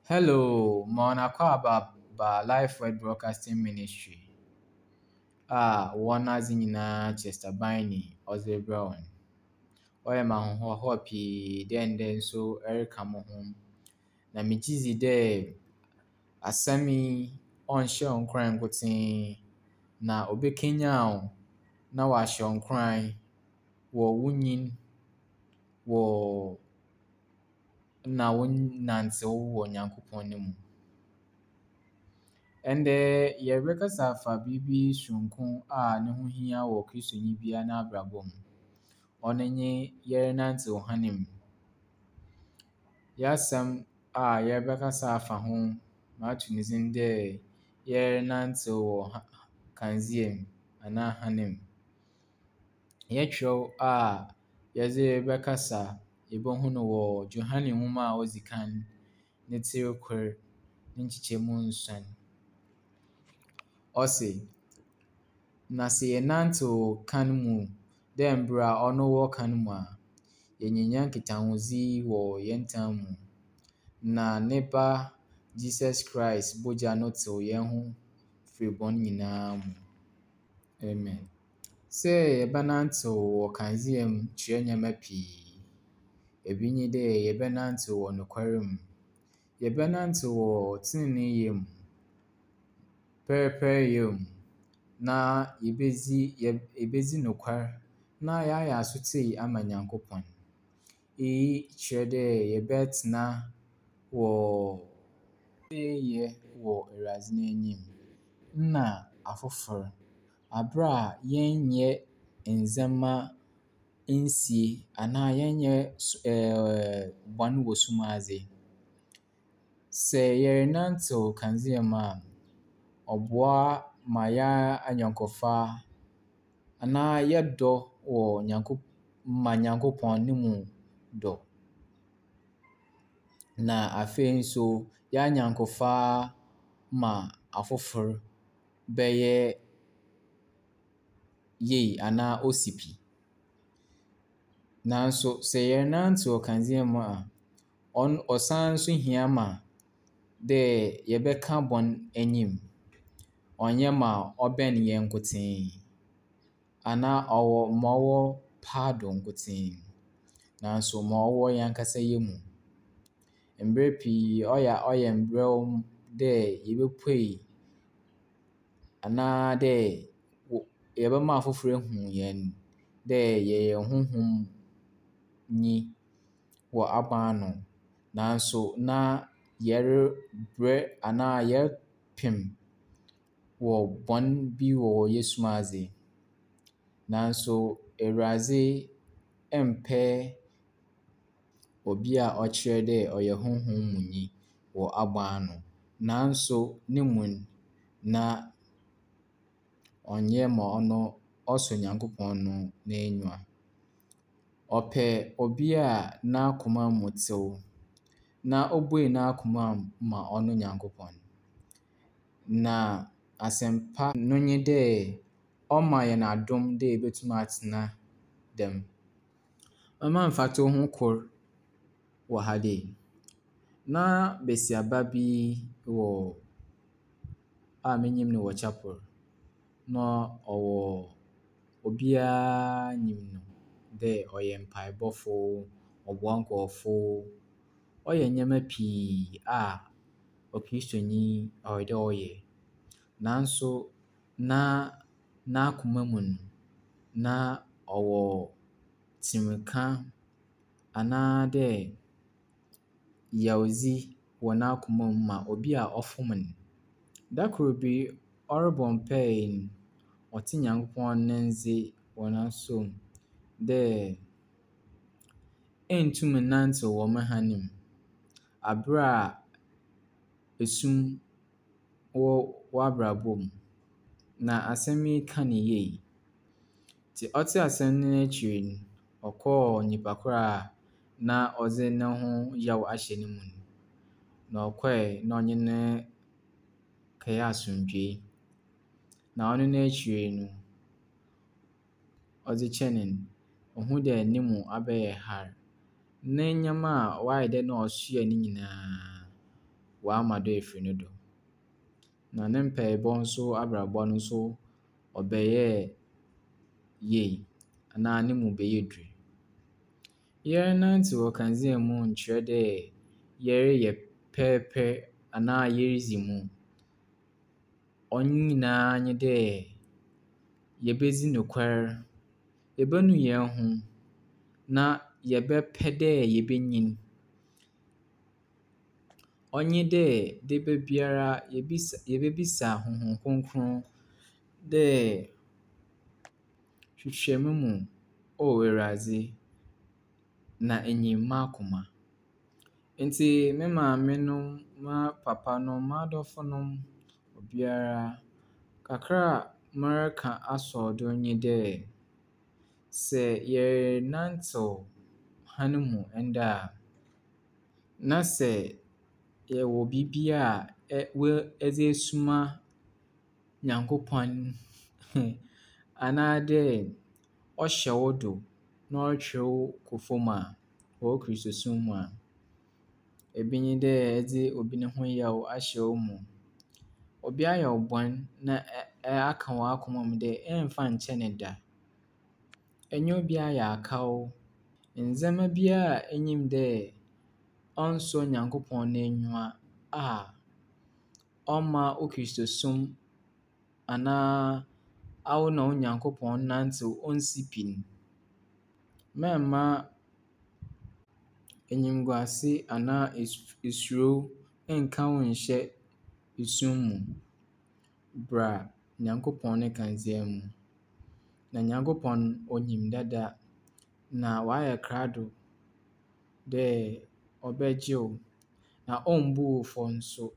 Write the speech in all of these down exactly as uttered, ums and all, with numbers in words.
Hello, ma akwaaba ba Life Word Broadcasting Ministry a wɔn adze nyinaa Chester Biney ɔdze rebrɛ wɔn. Ɔyɛ me ahohoahoa pii dɛ ndɛ nso ɛreka mo ho. Na megye dzi dɛ asɛm yi ɔnhyɛ wo nkuran nkotsee na obekenyan wo na ɔahyɛ wo nkuran wɔ wo nyin wɔ na wo nantsew wɔ Nyankopɔn no mu. Ndɛ yɛrebɛkasa afa biribi soronko a ne ho hia wɔ Kristoni biara n'abrabɔ mu. Ɔno nye yɛrenantsew hann mu. Yɛn a yɛrebɛkasa afa ho, mato ne dzin dɛ yɛrenantsew wɔ kandzea mu anaa hann mu. Yɛn a yɛdze rebɛkasa, yebohu no wɔ Johane nwoma a odzi kan ne tsir kor ne nkyekyɛmu nson. Ɔse, na sɛ yɛnantsew kan mu dɛ mbrɛ ɔno wɔ kan mu a, yɛnyenya nkitahodzi wɔ hɛn ntam mu. Na ne ba Jesus Christ bɔgya no tsew hɛn ho firi bɔn nyinaa mu. Amen. Sɛ yɛbɛnantsew wɔ kandzea mu kyerɛ nneɛma pii. Ebi nye dɛ yɛbɛnantsew wɔ nokwar mu. Yɛbɛnantsew wɔ tseneneeyɛ mu, pɛrpɛryɛ mu, na yebedzi yebedzi nokwar na yɛayɛ asotsie ama Nyankopɔn. Iyi kyerɛ dɛ yɛbɛtsena wɔ yɛ wɔ Ewuradze n'enyim na afofor aber a yɛnnyɛ ndzɛmba nsie anaa yɛnnyɛ ɛɛɛ bɔn wɔ sum ase. Sɛ yɛrenantsew kandzea mu a, ɔboa ma hɛn anyɛnkofa anaa yɛdɔ wɔ Nyanko ma Nyankopɔn no mu dɔ. Na afei nso, hɛn anyɛnkofa ma afofor bɛyɛ yie anaa osi pi. Naaso sɛ yɛrenantsew kandzea mu a, ɔno ɔsan so hia ma dɛ yɛbɛka bɔn enyim. Ɔnnyɛ ma ɔbɛn hɛn nkotsee anaa ɔwɔ ma ɔwɔ paado nkotsee. Naaso ma ɔwɔ hɛn ankasa hɛn mu. Mber pii ɔyɛ a ɔyɛ mberɛw dɛ yebopue anaa dɛ yɛbɛma afofor ehu hɛn dɛ yɛyɛ honhom nyi wɔ aber ano. Naaso na yɛrebrɛ anaa yɛrepem wɔ bɔn bi wɔ hɛn sum adze. Naaso Ewuradze mmpɛ obi a ɔkyerɛ dɛ ɔyɛ honhom mu nyi wɔ abow ano naaso no mu no, na ɔnnyɛ ma ɔno ɔsɔ Nyankopɔn no n'enyiwa. Ɔpɛ obi a n'akoma mu tsew na obue n'akoma mu ma ɔno Nyankopɔn. Na asɛmpa no nye dɛ ɔma hɛn adom dɛ yebotum atsena dɛm. Mɛma mfatoho kor wɔ ha dei. Na besiaba bi wɔ a minyim no wɔ chapel. Na ɔwɔ obiara nyim no dɛ ɔyɛ mpaabɔfo, ɔboa nkorɔfo, ɔyɛ ndzɛmba pii a Okristonyi ɔwɔ dɛ ɔyɛ. Naaso na n'akoma mu no, na ɔwɔ tsimka anaadɛ yawdzi wɔ n'akoma mu ma obi a ɔfom no. Da kor bi, ɔrobɔ mpaa no, ɔtse Nyankopɔn ne ndze wɔ n'asowa mu dɛ enntum nnantsew wɔ me hann mu aber a sum wɔ w'abrabɔ mu. Na asɛm yi kaa no yie. Ntsi ɔtsee asɛm no ekyir no, ɔkɔɔ nyimpa kor a na ɔdze no ho yaw ahyɛ no mu no. Na ɔkɔe na ɔnye no kɛyɛɛ asomdwee. Na ɔno n'ekyir no, ɔdze kyɛɛ no no, ohun dɛ no mu abɛyɛ har. Ne ndzɛmba a ɔayɛ dɛ nna ɔsoa ne nyinaa, ɔama do efir no do. Na ne mpaabɔ so abrabɔ no so ɔbɛyɛɛ yie anaa no mu bɛyɛɛ dur. Yɛrenantsew wɔ kandzea mu nnkyerɛ dɛ yɛreyɛ pɛrpɛr anaa yeridzi mu. Ɔno nyinaa nye dɛ yebedzi nokwar, yebenu hɛnho, na yɛbɛpɛ dɛ yebenyin. Ɔnye dɛ daba biara yebisa yebebisa Honhom Kronkron dɛ hwehwɛ me mu, O Ewuradze, na inyim m'akoma. Ntsi me maamenom, m'apapanom, m'adɔfonom, obiara, kakra a mereka asɔw do nye dɛ, sɛ yɛrenantsew han mu ndɛ a, na sɛ yɛwɔ biribi a ɛ wo edze esuma Nyankopɔn anaadɛ ɔhyɛ wo do na ɔrotwer wo kɔ famu a, wɔ wo Kristosom mu a, ebi nye dɛ edze obi no ho yaw ahyɛ wo mu. Obi ayɛ wo bɔn na ɛ ɛ aka w'akoma mu dɛ ɛmmfa nnkyɛ no da. Enye obi ayɛ akaw. Ndzɛmba biara a inyim dɛ ɔnnsɔ Nyankopɔn n'enyiwa a ɔmma wo Kristosom anaa awo na wo Nyankopɔn nantsew onnsi pi no, mma mma enyimguase anaa es esuro nnka wo nnhyɛ sum mu. Bra Nyankopɔn ne kandzea mu. Na Nyankopɔn onyim dada na ɔayɛ krado dɛ ɔbɛgye wo na ommbu wo fɔ so.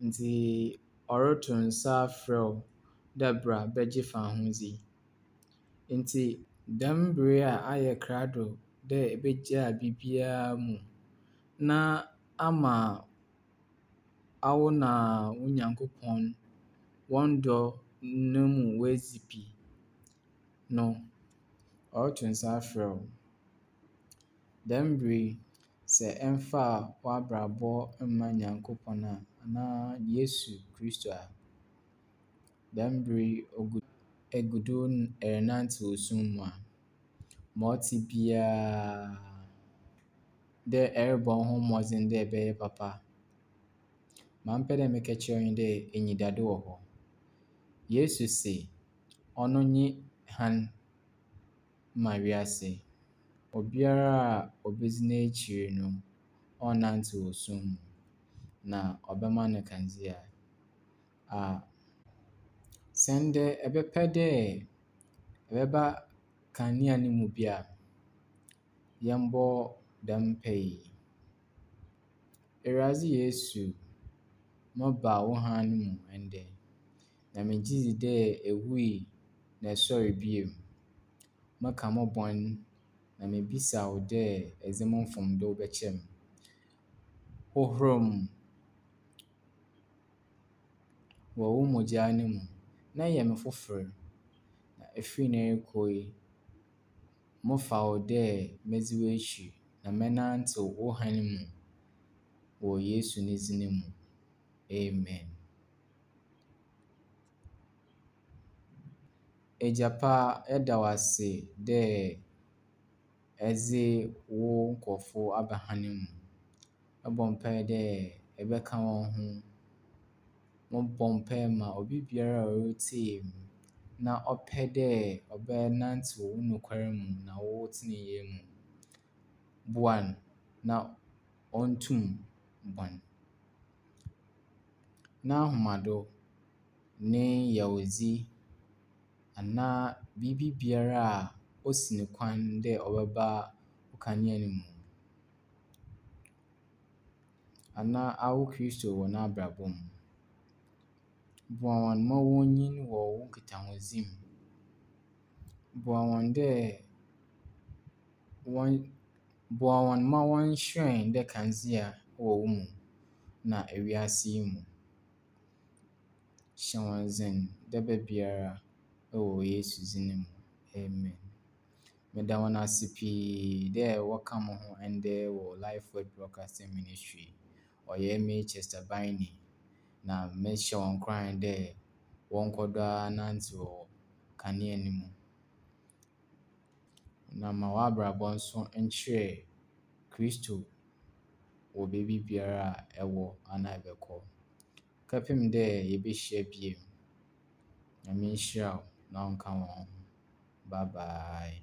Ntsi ɔroto nsa afrɛ wo dɛ bra bɛgye fahodzi. Ntsi dɛm ber yi a ayɛ krado dɛ ebegyaa biribiara mu na ama awo na wo Nyankopɔn hɔn dɔ no mu woedzi pi no, ɔroto nsa afrɛ wo. Dɛm ber yi, sɛ ɛmmfaa w'abrabɔ mmaa Nyankopɔn a anaa Yesu Kristo a, dɛm ber yi ogu egu do erenantsew sum mu a, ma ɔtse biara dɛ erobɔ woho mbɔdzen dɛ ebɛyɛ papa. Ma mepɛ dɛ meka kyerɛ wo nye dɛ enyidado wɔ hɔ. Yesu se ɔno nye han ma wiase. Obiara a obedzi n'ekyir no, ɔnnantsew sum mu, na ɔbɛma no kandzea a sɛ ndɛ ebɛpɛ dɛ ebɛba kanea no mu bi a, yɛmbɔ dɛm mpaa yi. Ewuradze Yesu, meba wo han no mu ndɛ, na megye dzi dɛ ewui na esoɛr bio. Meka mo bɔn na mibisa wo dɛ edze mo mfomdo bɛkyɛ me. Hohor me wɔ wo mbɔgyaa no mu na yɛ me fofor. Na efir ndɛ rokɔ yi, mefa wo dɛ medzi w'ekyir na mɛnantsew wo han mu wɔ Yesu ne dzin mu, amen. Egya pa, yɛda wo ase dɛ edze wo nkorɔfo aba han mu. Mobɔ mpaa dɛ ebɛka hɔn ho. Mobɔ mpaa ma obi biara a oritsie me na ɔpɛ dɛ ɔbɛnantsew wo nokwar mu na wo tseneneeyɛ mu. Boa no na ontum bɔn. N'ahomado, ne yawdzi, anaa biribi biara a osi no kwan dɛ ɔbɛba wo kanea no mu anaa awo Kristo wɔ n'abrabɔ mu. Boa hɔn ma wonyin wɔ wo nkitahodzi mu. Boa hɔn dɛ wɔn boa hɔn ma wɔnhyerɛn dɛ kandzea wɔ wo mu na ewiase yi mu. Hyɛ hɔn dzen daba biara wɔ Yesu dzin mu, amen. Meda hɔn ase pii dɛ wɔka mo ho ndɛ wɔ Life Word Broadcasting Ministry. Ɔyɛ emi Chester Biney, na mehyɛ hɔn nkuran dɛ wɔnkɔ do ara nnantsew wɔ kanea no mu. Na ma w'abrabɔ nso nkyerɛ Kristo wɔ beebi biara a ɛwɔ anaa ɛbɛkɔ. Kɛpem dɛ yebehyia bio. Nyame nhyira wo na ɔnka wo ho. Bye bye.